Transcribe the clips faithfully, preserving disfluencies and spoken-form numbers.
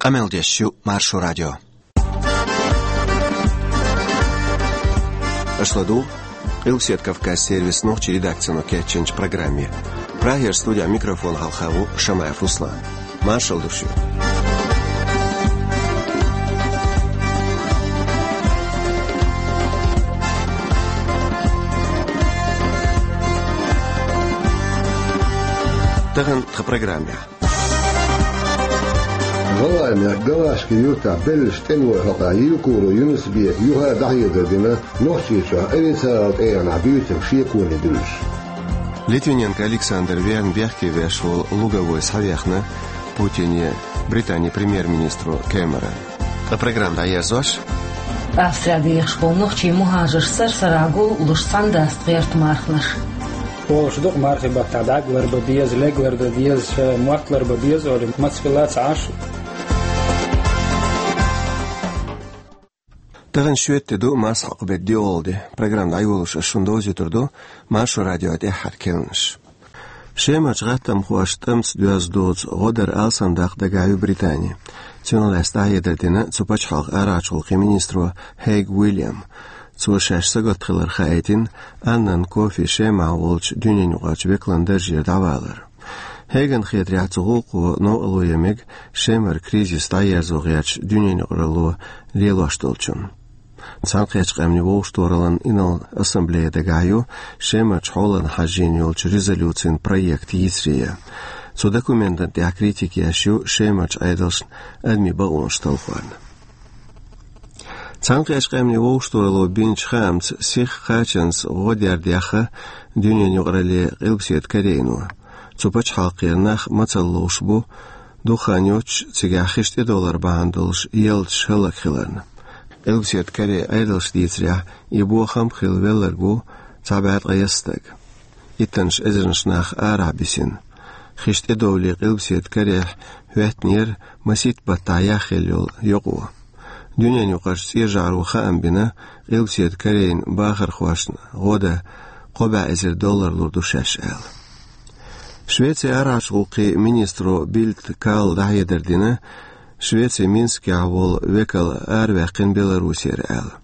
Къамел деш ю Маршо радио. Аша ладугӀу Къилбаседа Кавказ сервисан нохчийн редакцино кечйинчу программе. Прагера студехь микрофон хьалха ву Шамаев Руслан. Маршалла ду шуьга. Тахана тхан программехь. ГӀалгӀайн мехкан Галашкин юьртахь беллачу тӀемалойн хьокъехь Евкуров Юнус-Бека юха а дӀахьедар дина, Нохчийчохь официалан тӀегӀанехь буьйцург шеконе дуьллуш. Литвиненко Александр верна бехке веш волу луговой схьавехна Путине Британин премьер-министро Кэмерона. Ткъа программа дӀаерзош. Австрехь дехаш болу нохчийн мухӀажарш сар-сарахь гул а луш цхьаьна дац гӀерта марханаш. Олуш ду-кх мархийн баттахь дӀаг ларбан беза, лег лардан деза, ша мотт ларбан беза олий, маца хилла а ца Ӏаш. Тахана шоьтан де ду, массо а хьокху беттан доьалгӀа де. Программа дӀайолош ас шуна довзуьйтур ду Маршо радион тӀаьххьара керланаш. Шемарчу гӀаттамхоша тӀамца доьзна доцу гӀо дар алсамдаккха дагахь ю Британи. Цунах лаьцна дӀахьедар дина цу пачхьалкхан арахьарчу гӀуллакхийн министро Хейг Уильяма. Цо шаьш сагатта хилар хаийтина Аннан Кофи Шемахь волчу дуьненаюкъарчу векалан даржера дӀавалар. Хейгана хетарехь, цу гӀуллакхо новкъарло ян мега Шемара кризис дӀаерзо гӀерташ дуьненаюкъаралло лелош долчунна. Цхьаьнакхеттачу къаьмнийн вовшахтохараллин инарла ассамблея дагахь ю Шемарчу хьолана хьажжийна йолчу резолюцин проект йийцаре ян. Цу документана тӀехь критика еш ю Шемарчу Ӏедалшна адамийн бакъонаш талхорна. Цхьаьнакхеттачу къаьмнийн вовшахтохаралло бинчу хаамца, сиха кхачанца гӀо дер дехна дуьненаюкъаралле Къилбаседа Корейно. Цу пачхьалкхера нах мацалла ловш бу, духхьал йоцуш, цигахь хиш тӀедовлар бахьана долуш ялташ хӀаллакьхиларна. Къилбаседа Корейн Ӏедалша дийцарехь, и бохам а хилла велларг ву цхьа бӀе ткъайесна стаг. Иттаннаш эзарнаш нах арахь бисина. Хиш тӀедовлий Къилбаседа Корейхь хӀоьттинера масийтта баттахь яхъелла йолу йокъо. Дуьненаюкъарчу ЦӀен ЖӀаро хаам бина, Къилбаседа Корейн бахархошна гӀо дан кхо бӀе эзар доллар лур ду шаьш аьлла. Швецин арахьарчу гӀуллакхийн министро Бильд Калла дӀахьедар дина, Швецин Минскехь волу векал араваьккхина Беларусера аьлла.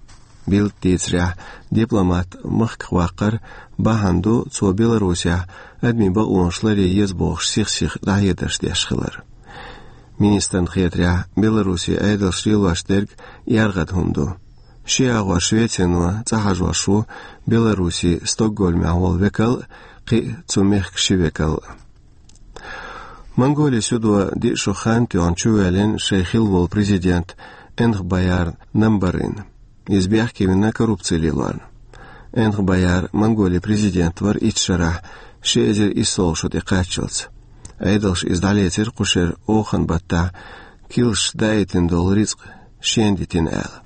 Бильда дийцарехь, дипломат махках ваккхар бахьана ду, цо Беларусехь адамийн бакъонаш ларъян еза бохуш сих-сиха дӀахьедарш деш хилар. Министрна хетарехь, Беларусин Ӏедалша лелош дерг эргӀадда хӀума ду. Ши агӀор Швецино цӀа хьажош ву Беларусин Стокгольмехь волу векал а, кхин а цу мехкан ши векал а. Монголин судо диъ шо хан тоьхна чувоьллина шайн хилла волу президент Энхбаяр Намбарын. Иза бехке вина коррупци лелорна. Энхбаяр Монголин президент вара итт шарахь, ши эзар иссалгӀа шо тӀекхаччалц. Ӏедалша иза дӀалецира кху шеран охан баттахь, килсаш даийтина долу рицкъ шена дитина аьлла.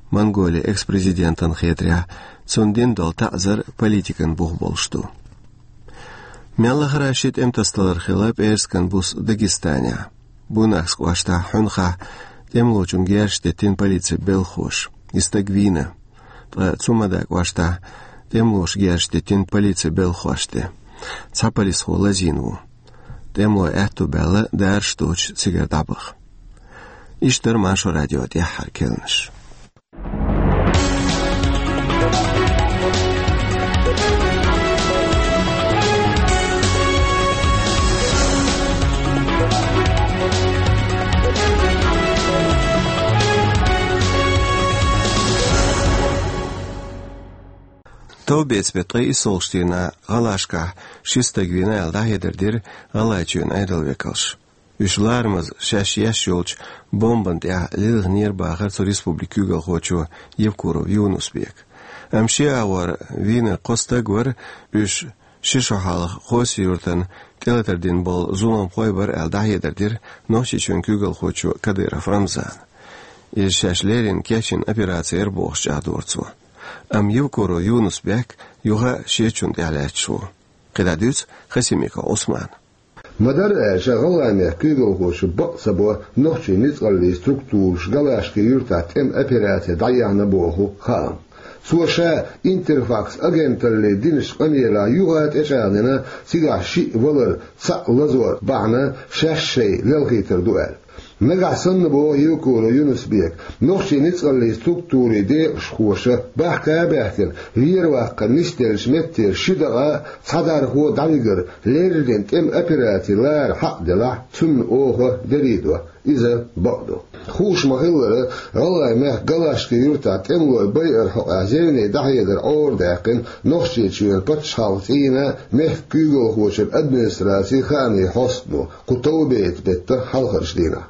Монголин экс-президентана хетарехь, цунна дина долу таӀзар политикан бух болуш ду. Мел лахара ши тӀематасадалар хилла пӀераскан буса Дагестанехь. Буйнакск кӀоштахь Хьуьнхахь тӀемалочунна герзаш деттина полицин белхахоша. И стаг вийна. Ткъа Цумада кӀоштахь тӀемалоша герзаш деттина полицин белхахошна тӀе. Цхьа полисхо лазийна ву. ТӀемалой аьтто баьлла, дараш доцуш цигара дӀабаха. Иштта дара Маршо радион тӀаьххьара керланаш. Товбеца беттан ткъе иссалгӀачу дийнахь ГӀалашкахь ши стаг вийна аьлла, дӀахьедар дира ГӀалгӀайчоьнан Ӏедалан векалша. Уьш ларамаза шаьш еш йолчу бомбана тӀехь лилхинера бахара цу республикин куьйгалхочо Евкуров Юнус-Бека. Амма шен агӀор вийна кхо стаг вара, уьш ши шо хьалха Хоси-Юьртана тӀелатар дина болу зуламхой бара аьлла, дӀахьедар дира Нохчийчоьнан куьйгалхочо Кадыров Рамзана. Иза шаьш леррина кечйина операци яра бохуш чӀагӀдора цо. Амма Евкуров Юнус-Бек юха а шечунна тӀехь лаьтташ ву. КхидӀа дуьйцу Хасимиков Ӏусмана. Ма-дарра аьлча, ГӀалгӀайн мехкан куьйгалхоша бакъ ца бо нохчийн ницкъаллийн структураш ГӀалгӀашкин юьртахь тӀеман операци дӀаяьхьна боху хаам. Цо ша «Интерфакс» агенталле динчу къамелехь юха а тӀечӀагӀдина, цигахь шиъ валар, цхьаъ лазор бахьана шаьш шайн лелхийтар ду аьлла. Нагахь санна, боху Евкуров Юнус-Бека, нохчийн ницкъаллийн структурийн декъашхоша бахка а баьхкина, вера ваккхар нисделлачу меттера ши дакъа а, цхьа дархо а дӀавигар, леррина тӀеман операци лара хьакъ делахь, цунна оха дерриг до. Иза бакъ ду. Хууш ма-хиллара, ГӀалгӀайн мехкан Галашкин юьртахь тӀемалойн байаран хьокъехь зевне дӀахьедар Ӏорадаьккхина Нохчийчоьнан пачхьалкхан цӀийнан а, мехкан куьйгалхочун администрацин а хаамийн хьостано кху товбейтан беттан хьалхарчу дийнахь.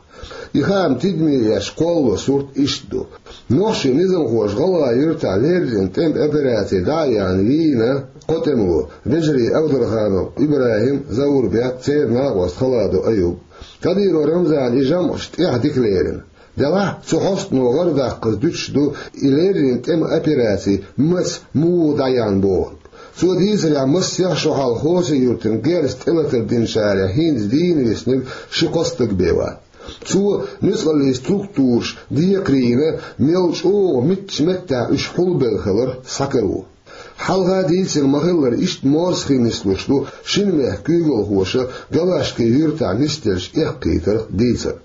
И хаам тидаме еш кхоллало сурт иштта ду. Нохчийн низамхоша ГӀалгӀайн юьртахь леррина тӀеман операци дӀа а яьхна вийна кхо тӀемало: Вежарий Абдраханов ИбрахӀим, Заурбек, церан накъост Халадов Аюб. Кадыров Рамзана и жамӀаш тӀех дика лерина. Делахь а цу хьостано гӀарадаккхаза дуьтуш ду и леррина тӀеман операци маса, муха дӀаяьхна бохург. Цо дийцарехь, массех а шо хьалха Хьосан-Юртан герз тӀелатар динчарех хӀинца дийна виснарг ши-кхо стаг бен вац. Цо нуьцкъаллийн структураш декхарийна, мел чӀогӀа муьлхачу меттехь уьш хьулбелла хилар схьакаро. Хьалха дийцина ма-хиллара, иштта морсхий нислуш ду шина мехкан куьйгалхоша Галашкин юьртахь нисделлачу эккхийтарх дийцар.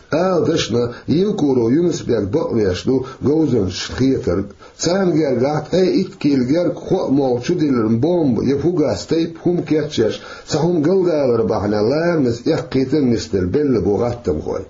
Ала дашна, Евкуров Юнус-Бек бакъвеш ду говзанчашна хетарг. Царна гергахь ткъе итт кила герга кхоъ молха чудиллина бомба я фугас тайпа хӀума кечъеш, цхьа хӀума галдалар бахьана ларамаза эккхийтар нисделла белла бу гӀаттамхой.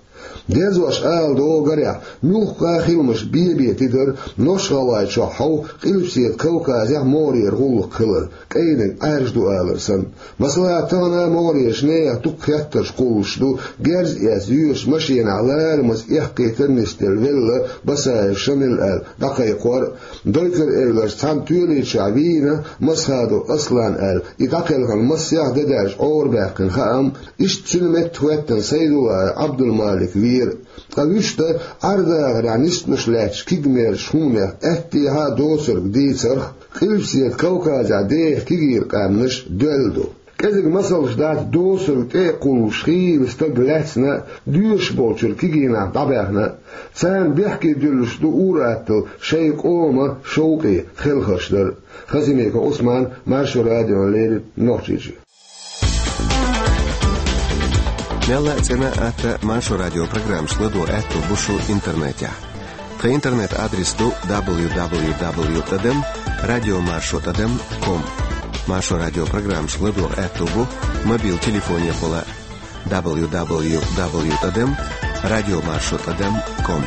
Дезош ала догӀу, гарехь, муьлхха а хиламаш бен-бен тидара Нохч-ГӀалгӀайчохь хьовха, Къилбаседа Кавказехь могӀарера гӀуллакх хилар, кӀайниг Ӏаьржа ду алар санна. Масала, тахана а могӀарерчу нехан дукха хеттарш кхуллуш ду герз эцна йоьдучу машенахь ларамаза эккхийтар нисделла велла Басаев Шамил аьлла дӀакхайкхор а, Дойкар-Эвларчу цхьана тоьличохь вийна Масхадов Аслан аьлла, и дӀакхелхина массех а де даьлча Ӏорабаьккхина хаам, иштта цуьнан метта хӀоьттина Сайдулаев Ӏабдулмалик вийра. Ткъа вуьшта Ӏер-дахарехь нисдеш лаьттачу кегамерчу хӀуманех аьттехьа а доцург дийцарх, Къилбаседа Кавказехь деха кегийра къаьмнаш доьлла ду. КӀезиг масалш дац доцург тӀе а кхуллуш хийла стаг лаьцна а, доьшуш болчуьра кегийнахь дӀабаьхна а. Царна бехке дуьллуш ду ур-атталла шайн къоман шовкъе хелхарш дар а. Хасимиков Ӏусман, Маршо радиона леррина, Нохчийчоь. Мелла а цӀена а, атта а Маршо радион программашка ладогӀа аьтто бу шун интернетехь. Тхан интернет-адрес ду дабл ю дабл ю дабл ю тӀадам радиомаршо тӀадам ком. Маршо радион программашка ладогӀа аьтто бу мобил телефонехула дабл ю дабл ю дабл ю тӀадам радиомаршо тӀадам ком.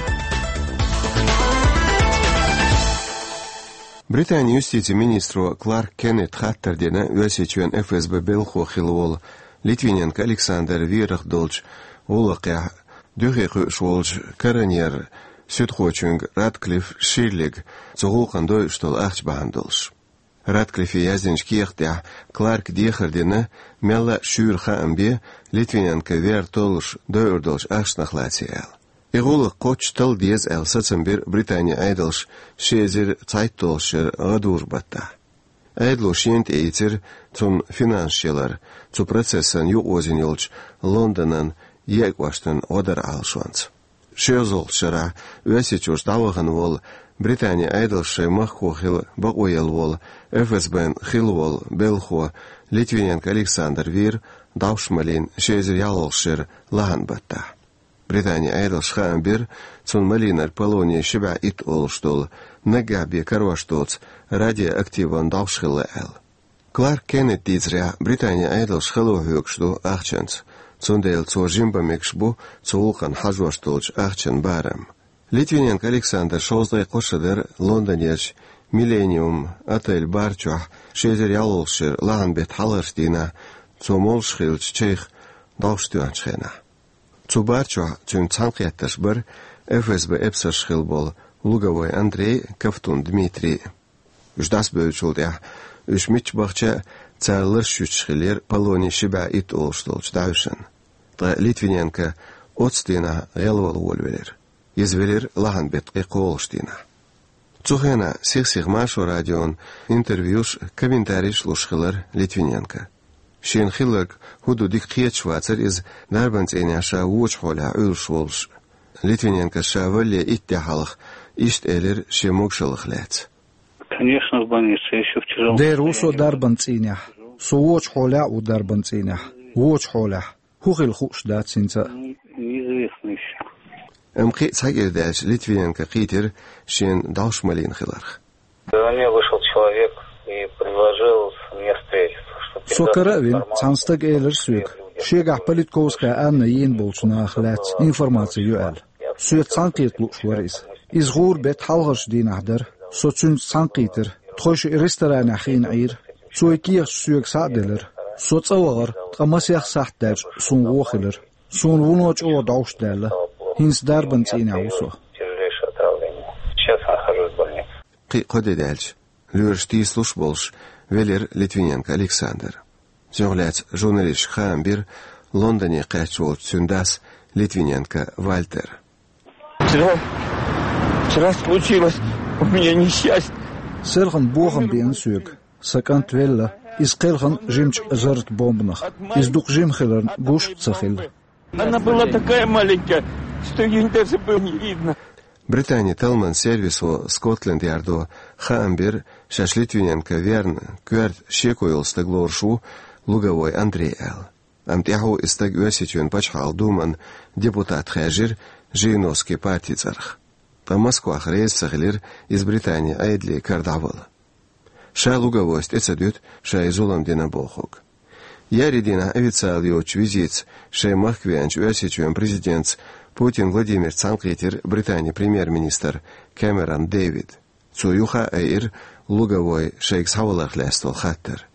Британин юстицин министро Кларк Кеннета хаттар дина Оьрсийчоьнан ФСБ белхахо хилла волу Литвиненко Александр верах долчу гӀуллакхехь дуьхе кхуьуш волчу коронер-суьдхочуьнга Радклифф Ширлига цу гӀуллакхна дойуш долу ахча бахьана долуш. Радклиффе яздинчу кехат тӀехь Кларка дехар дина, мелла а шуьйра хаам бе Литвиненко вер толлуш дойур долчу ахчанах лаций аьлла. И гӀуллакх кхоччуш талла деза аьлла сацам бира Британин Ӏедалша ши эзар цхьайтталгӀачу шеран гӀадужу баттахь. Ӏедало шена тӀеийцира цунна финансаш ялар, цу процессан юкъаозийна йолчу Лондонан еа кӀоштан гӀо дар Ӏалашонца. ШолгӀачу шарахь Оьрсийчуьра дӀавахана волу, Британин Ӏедалша шайн махкахо хила бакъо елла волу, ФСБ-н хилла волу белхахо Литвиненко Александр вийра дӀовш малийна ши эзар ялхалгӀачу шеран лахьан баттахь. Британин Ӏедалша хаам бира, цунна малийнарг полоний ши бӀе итт олуш долу, наггахь бен карош доцу радиоактиван дӀовш хилла аьлла. Кларк Кеннета дийцарехь, Британин Ӏедалша хало хьоьгуш ду ахчанца, цундела цо жима бан мегаш бу цу гӀуллакхна хьажош долчу ахчан барам. Литвиненко Александр шовзткъе кхо шо дара Лондонерчу Миллениум отель бар чохь ши эзар ялхалгӀачу шеран лахьан беттан хьалхарчу дийнахь, цо молуш хиллачу чайх дӀовш тоьхначу хенахь. Цу бар чохь цуьнца цхьаьнакхеттарш бара ФСБ эпсарш хилла болу Луговой Андрей а, Ковтун Дмитрий а. Уьш дӀасабевллачул тӀаьхьа, уьш мичча бахча а, цара ларш юьтуш хиллера полоний ши бӀе итт олуш долчу дӀаьвшанна. Ткъа Литвиненко оццу дийнахь гӀелвала волавелира. Иза велира лахьан беттан ткъе кхоалгӀачу дийнахь. Цу хенахь сих-сиха Маршо радион интервьюш а, комментарийш а луш хилира Литвиненко. Шена хилларг хӀун ду дика кхеташ вацара иза, дарбан цӀийнехь ша вочу хьолехь Ӏуьллуш волуш. Литвиненкос ша валале итт де хьалха иштта элира шен могушаллах лаьцна. Конечно, в больнице, ещё в тяжёлом состоянии. Дера ву со дарбан цӀийнехь. Со вочу хьолехь а ву дарбан цӀийнехь. Вочу хьолехь. ХӀун хила хууш дац хӀинца а. Неизвестно ещё. Амма кхин а цхьа кӀира даьлча Литвиненко кхийтира шена дӀовш малийна хиларх. Ко мне вышел человек и предложил мне встретиться, что... Со кара а вина, цхьана стага элира соьга, шегахь Политковская Анна йийна болчу нахах лаьцна информаци ю аьлла. Соьца цхьаьнакхета лууш вара иза. Иза гӀура беттан хьалхарчу дийнахь дара. Со цуьнца цхьаьнакхийтира. Тхойша ресторанехь хиъна Ӏийра. Цо и кехаташ соьга схьа а делира. Со цӀа вахара, ткъа масех сахьт даьлча суна вон хилира. Суна вуно чӀогӀа дӀовш даьлла. ХӀинца дарбан цӀийнехь ву со. Тяжелейшее отравление. Сейчас я нахожусь в больнице. Кхин а кхо де даьлча, лоьраш тийсалуш а болуш, велира Литвиненко Александр. Цунах лаьцна журналисташка хаам бира Лондоне кхаьчна волчу цуьнан дас Литвиненко Вальтера. Вчера, вчера случилось у меня несчастье. Селхана бохам беана соьга. Сан кӀант велла, иза кхелхина жимачу зарратан бомбанах. Иза дукха жима хиларна гуш а ца хилла. Она была такая маленькая, что её даже было не видно. Британин талламан сервисо Скотланд-Ярдо хаам бира, шаьш Литвиненко верна, коьрта шеко йолу стаг лоруш ву Луговой Андрей аьлла. Амма тӀаьхьо и стаг Оьрсийчоьнан пачхьалкхан думан депутат хаьржира Жириновскийн партин цӀарах. Ткъа Москвахь реза ца хилира иза Британин Ӏедалан кара дӀавала. Ша Луговойс тӀе ца дуьту шайн зулам дина бохург. Еарин дийнахь официалан йоцучу визитца шайн махка веанчу Оьрсийчоьнан президентца Путин Владимирца цхьаьнакхийтира Британин премьер-министр Кэмерон Дэвид. Цо юха а айира Луговой шайга схьаваларх лаьцна долу хаттар.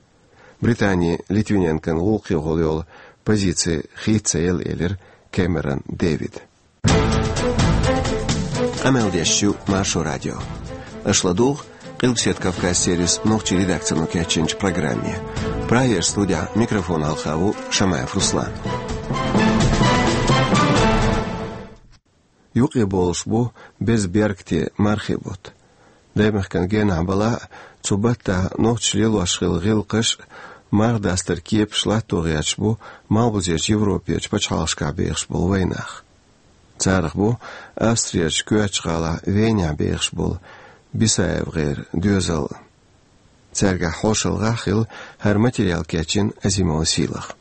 Британи Литвиненкон гӀуллакхехула йолу позици хийца ца елла, элира Кэмерон Дэвида. Къамел деш ю Маршо радио. Аша ладугӀу Къилбаседа Кавказ сервисан нохчийн редакцино кечйинчу программе. Прагера студехь микрофон хьалха ву Шамаев Руслан. Юкъе болуш бу беза беркате мархийн бутт. Даймахкан генахь балахь а, цу баттахь нохчаша лелош хилла гӀиллакхаш а, марха дастаран кепаш латто гӀерташ бу малхбузерчу Европерчу пачхьалкхашкахь бехаш болу вайнах. Царах бу Австрерчу коьртачу гӀалахь Венехь бехаш болу БисаевгӀеран доьзал а. Цаьргахь хьошалгӀахь хилла хӀара материал кечйина Азимова Сийлаха.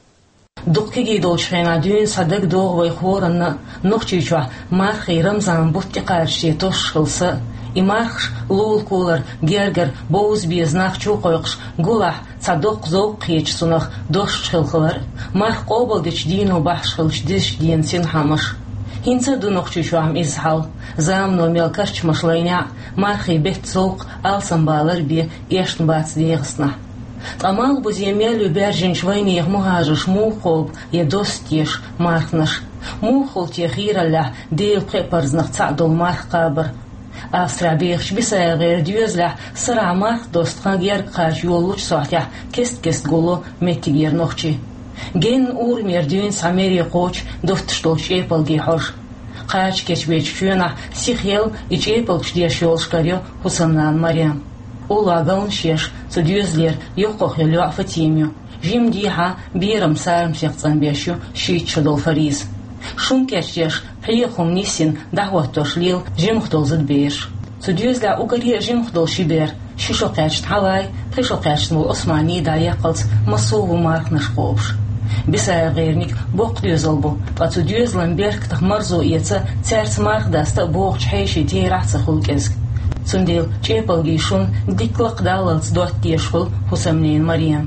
Дукха кегий долчу хенахь дуьйна схьадагадогӀу вай хӀоранна а, Нохчийчохь мархийн Рамзан бутт тӀекхачийча тосуш хилла са а. И мархаш лулахо лар, гергара бовза беза нах чу а кхойкхуш, гулахь цхьа доккха зовкх хеташ цунах досуш хилла хилар а, марха къобалдечу дийно бахьаш хиллачу дезачу дийнан синхьамаш. ХӀинца а ду Нохчийчохь-м иза хьал. Замано мел карчамаш лайнехь а, мархийн беттан зовкх алсамбалар бен эшна бац ДегӀастанахь. Ткъа малхбузе мел ю баьржинчу вайнехан мухӀажарш муха кхобу я доссу теша марханаш? Муха хуьлу те хийраллехь Делан пхеа парзанах цхьаъ долу марха кхабар? Австрехь бехачу БисаевгӀеран доьзалехь сарахь марха досту хан герга кхача йолалучу сохьтехь кест-кеста гулло меттигера нохчий. Генна урамера дуьйна схьа мере кхочу доттуш долчу чӀепалгийн хьожа. Кхача кечбечу чоьнахь сихъел и чӀепалгаш деш йолуш карайо хӀусамнана Марем. Уллохь галнаш еш, цу доьзалера йоккхах йолу йоӀ Фатима ю. Жимма дехьа берам сарам сехцӀанбеш ю шийтта шо долу Фариза. Шун кечдеш, пхьегӀа хӀума нисйина, дӀахӀоттош лела жимах долу зудабераш. Цу доьзалехь уггаре а жимах долу ши бер, ши шо кхаьчна Хьавай, пхи шо кхаьчна волу Османи дӀаяккхалц, массо а ву марханаш кхобуш. БисаевгӀерниг боккха доьзал бу, ткъа цу доьзалан беркатах марзо эца, цаьрца марха даста а бохучу хьешийн терахь а ца хуьлу кӀезиг. Цундела чӀепалгийн шун дикка лакха даллалц дотта дезаш хуьлу хӀусамнена Марем.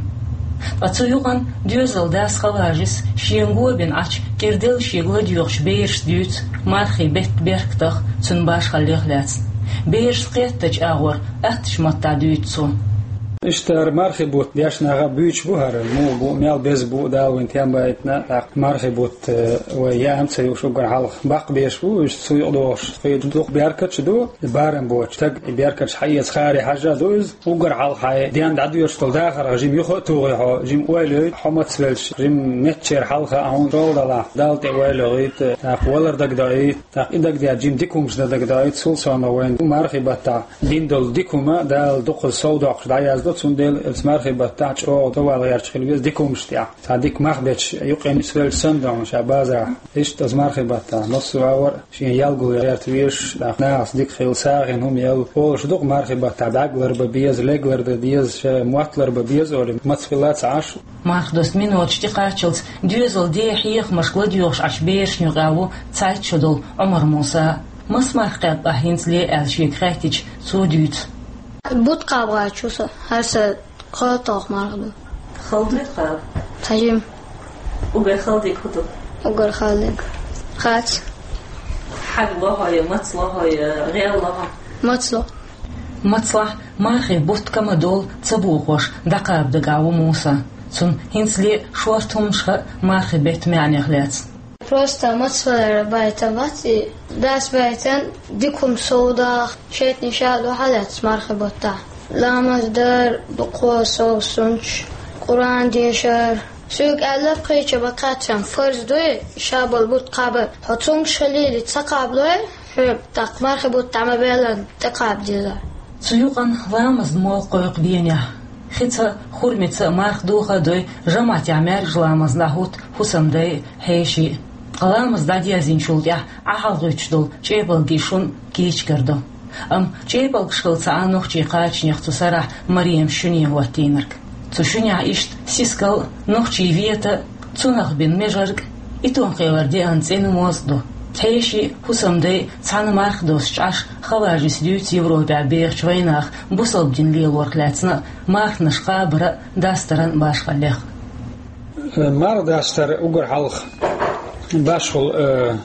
Ткъа цу юкъана доьзалан дас Хаважис шена го бина Ӏачу кӀирделла шега ладоьгӀучу берашца дуьйцу мархийн беттан беркатах, цуьнан башхаллех лаьцна. Берашца кхеттачу агӀор аттачу маттахь дуьйцу цо. Иштта хӀара мархийн бутт дешна наха буьйцуш бу хӀара, муха бу, мел беза бу Дала вайн тем байтина, тӀаккха мархийн бутт, э, вай яа ца юуш уггар хьалха баккха беш бу, уьш цу юкъа догӀуш кхин дукха беркаташ ду, барам боцуш стаг и беркаташ хьаэца харе хьажа ду иза. Уггар хьалха хьайн ден дӀадоьдуш долу дахарх жима юха а тухий хьо, жима ойла йойта хьо мацвелча, жима меттачеран хьалха а хьуна шолгӀа далахь, Далла тӀе ойла йойта, тӀаккха валар дагадоуьйту, тӀаккха и дагадеъча жима дика хӀуманаш дан дагадоуьйту, цул совнаха вайн мархийн баттахь дина долу дика хӀума Дала дукхаза сов доккхуш дӀаязду. Цундела оцу мархий баттахь чӀогӀа довла гӀерташ хила веза дика хӀуманаш тӀехь. Цхьа дика мах бетташ юкъе нисвелча санна, ша базарахь. Иштта оцу мархий баттахь массо а вар шен ял гулъян гӀерта везаш, нахаца дика хила, сагӀина хӀума ял, олуш ду-кх мархий баттахь бӀаьрг ларбан беза, лег лардан деза, шайн мотт ларбан беза олий, маца хилла а ца Ӏаш. Марха доста миноташ тӀекхаччалц доьзалан ден хьехамашка ладоьгӀуш Ӏачу берашна юкъахь ву цхьайтта шо долу Ӏумар-Муса. Маса марха кхаьбна ахь хӀинцале аьлла шега хаьттича, цо дуьйцу. Бутт кхаба гӀерташ ву со, хӀара сан кхоалгӀа марха ду. Хала дуй кхаба? Хьажим. Уггар хала дерг хӀун ду? Уггар хала дерг. Хац. Хьаг ло хьо я, маца ло хьо я, гӀел ло хьо? Маца ло. Мацлахь мархин бутт ка ма долу ца бохош дӀакхаба дагахь ву Муса. Цунна хӀинцале шорта хӀуманаш хаьа, мархин беттан маьӀнех лаьцна. Просто мацвалар байтам бац и. Дас байтан дика хӀума совдаха, шайтӀанийн ша а дуьхьал лаьцна мархи баттахь. Ламаз дар, дукха совсунч, Къуръан дешар. Соьга аьлла, пхиъча баккхаччан фарз дуй, ша болу бутт кхаба. Хьо цуьнгаш хилийла ца кхаблой, хьоьга тӀаккха мархи бутт дӀа ма беллан, тӀекхаба деза. Цу юкъана ламазан молла кхойкху дийнахь. Хица, хурмица марха доха а дой, жамаӀатехь маьркӀажа ламазна дӀахӀутту хӀусамдай а, хьеший а. Ткъа ламаз дӀадерзинчул тӀаьхьа Ӏа хьалхагӀуьттуш долу чӀепалгий шуна кийча карадо. Амма чӀепалгаш хилла ца Ӏа нохчийн кхачанех цу сарахь Марема шуьне хӀоттийнарг. Цу шуьнехь иштта сискал а, нохчийн вета а, цунах бина межарг а, и тонкхелара деана цӀена моз а ду. Хьеший а, хӀусамдай а цхьаьна марха доссучу Ӏаш, хаваржис дуьйцу Европехь бехачу вайнаха бусалба дин лелорах лаьцна а, марханаш кхабаран а, дастаран а башхаллех. Марха дастар уггар хьалха башхалла, э,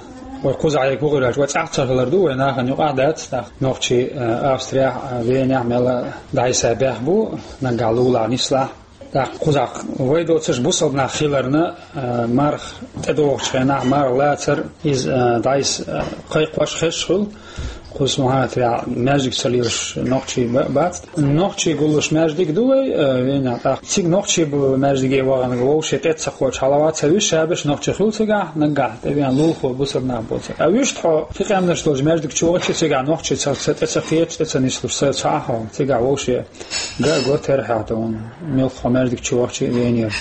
вай кхузахь, вай кхузахь вай цӀахь ца хилар ду, вай нахана юкъахь дац, нохчий, э, Австрехь а, Венехь а мел дӀасабаьхна бу, наггахь лулахь, нислахь. ТӀаккха кхузахь вай доцурш бусалба нах хиларна, а, марха тӀедогӀучу хенахь марха лацар, иза, а, дӀасакхайкхош хезаш хуьлу. Кхузахь хӀинца маьждиг ца лелош нохчий ба-, бац. Нохчий гуллуш маьждиг ду вай, а, Венехь. ТӀаккха цига нохчий болу маьждиге ваханарг вовшийн тӀе ца кхочу хьалха ца вуьсуш, ша берш нохчий хуьлу цигахь, наггахь тӀевеана лулахо бусалба нах бу цигахь. А вуьшта хьо кхин къаьмнаш долчу маьждиг чу вахча, цигахь нохчий ца, ца тӀе ца кхеташ, тӀе ца нислуш, ца, ца Ӏа хьо, цигахь вовшийн Га а го терахьехь тхуна, мелхо маьждиг чу вахча а венера.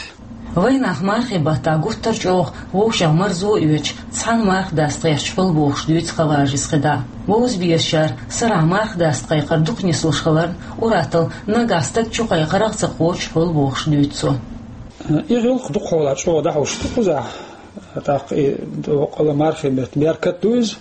Вайнах мархи баттахь гуттар а чӀогӀа вовшех марзо а оьцуш, цхьаьна марха даста гӀерташ хуьлу бохуш дуьйцу Хаважис Хида. Вовза безачара сарахь марха даста кхайкхар дукха нислуш хиларна, ур-атталла наггахь стаг чу кхайкхарх а ца кхочуш хуьлу бохуш дуьйцу цо. И гӀиллакх дукхахьолахь чӀогӀа дӀахьуш ду кхузахь. ТӀаккха и доккхала мархи бетта беркат ду иза.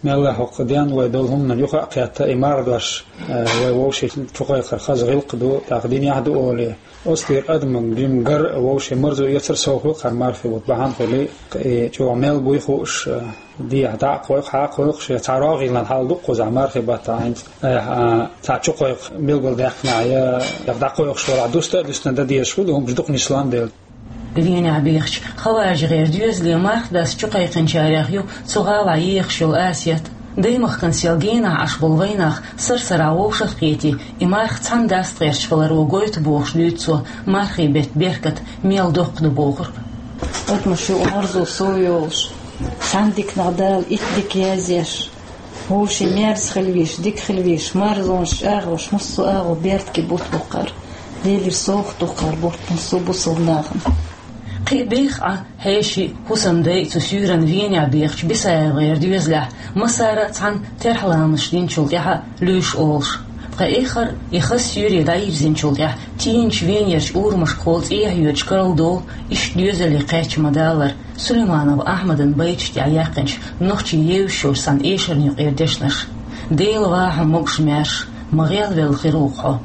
Мелла хӀокху денна вай долу хӀуманан юха а кхетта, и марха дош, э, вай вовшийн чу кхайкхар хаза гӀиллакх ду, тӀаккха динехь а ду олий. Оцу тӀера адаман бен гар а, вовшийн марзо эцар сов хуьлу хӀара мархи бутт бахьана хуьлий, и чӀогӀа мел буй хууш, э, дехьа дӀа а кхойкху, хьа а кхойкху, шен цхьа рогӀийла хьал ду кхузахь мархи баттахь хӀинца. Э, а, цхьа чу кхойкху билгалдаьккхинехь я, я дӀакхойкхуш валахь, дуста а дуьстина дан дезаш хуьлу, хӀуманаш дукха нислун дела. Венехь бехачу Хаважи гӀеран доьзале марха даста чу кхайкхинчарех ю цу гӀалахь ехаш йолу Асет. Даймахкана сел генахь Ӏаш болу вайнах сар-сарахь вовшах а кхетий, и марха цхьаьна даста гӀерташ хиларо гойту бохуш дуьйцу цо, мархи бетта беркат мел доккха ду бохург. Адамаш юкъа марзо сов йолуш, цхьана диканах Дала итт дика язъеш. Вовшийн мерза хила везаш, дика хила везаш, марзонаш чӀагӀош, массо а агӀо беркате бутт бу кхара. Делера совгӀат ду кхара бутт массо а бусалба нахана. Кхин а беха Ӏа, хьеший, хӀусамдай цу суьйранна Венехь бехачу Бисаевгара доьзалехь, массара а цхьаьна терхьламазаш динчул тӀаьхьа луьйш олуш. Ткъа эххар а и хаза суьйре дӀайирзинчул тӀаьхьа тийначу венерчу урамашкахула цӀехьа йоьдуш карладолу иштта доьзале кхаьчча ма-даллара Сулейманов Ахьмадан байташ тӀехь яьккхинчу нохчийн евзаш йолчу цхьана эшарна юкъера дешнаш. Дела ваха хьо, могуш-маьрша, ма гӀелвелла хир ву-кх хьо.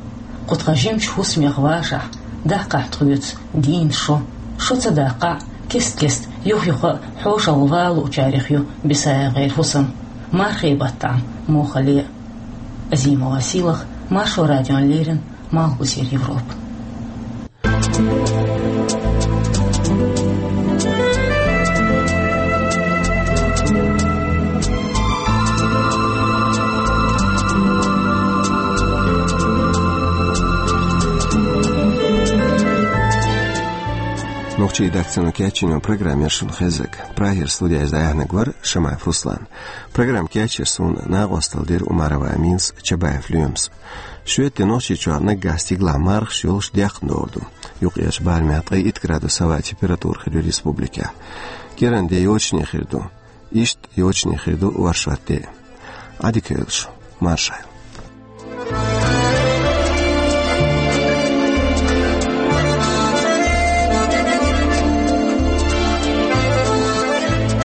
Кху тхан жимачу хӀусамех вашахь, даккхахь тхоьца дийнан шо. Шо ца даккхахь, кест-кеста, юх-юха а хьошалгӀа валучарех ю Бисаевгара хӀусам. Мархи баттахь муххале а. Азимова Сийлаха, Маршо радиона леррина, Малхбузера Европа. Нохчийн даццано кечйина программа яра шуна хезнарг. Прагера студехь дӀаяьхьнарг вара Шамаев Руслан. Программа кечйира суна, накъосталла дира Умарова Аминас, Чабаев Лоьмас. Шоьтан Нохчийчохь наггахь стигалахь мархаш йолуш дехна догӀур ду. Юккъерчу барамехь ткъе итт градус хӀаваан температура хир ю республикехь. КӀиранде йочане хир ду. Иштта йочане хир ду оршот де. Ӏадика йойла шу, марша Ӏойла.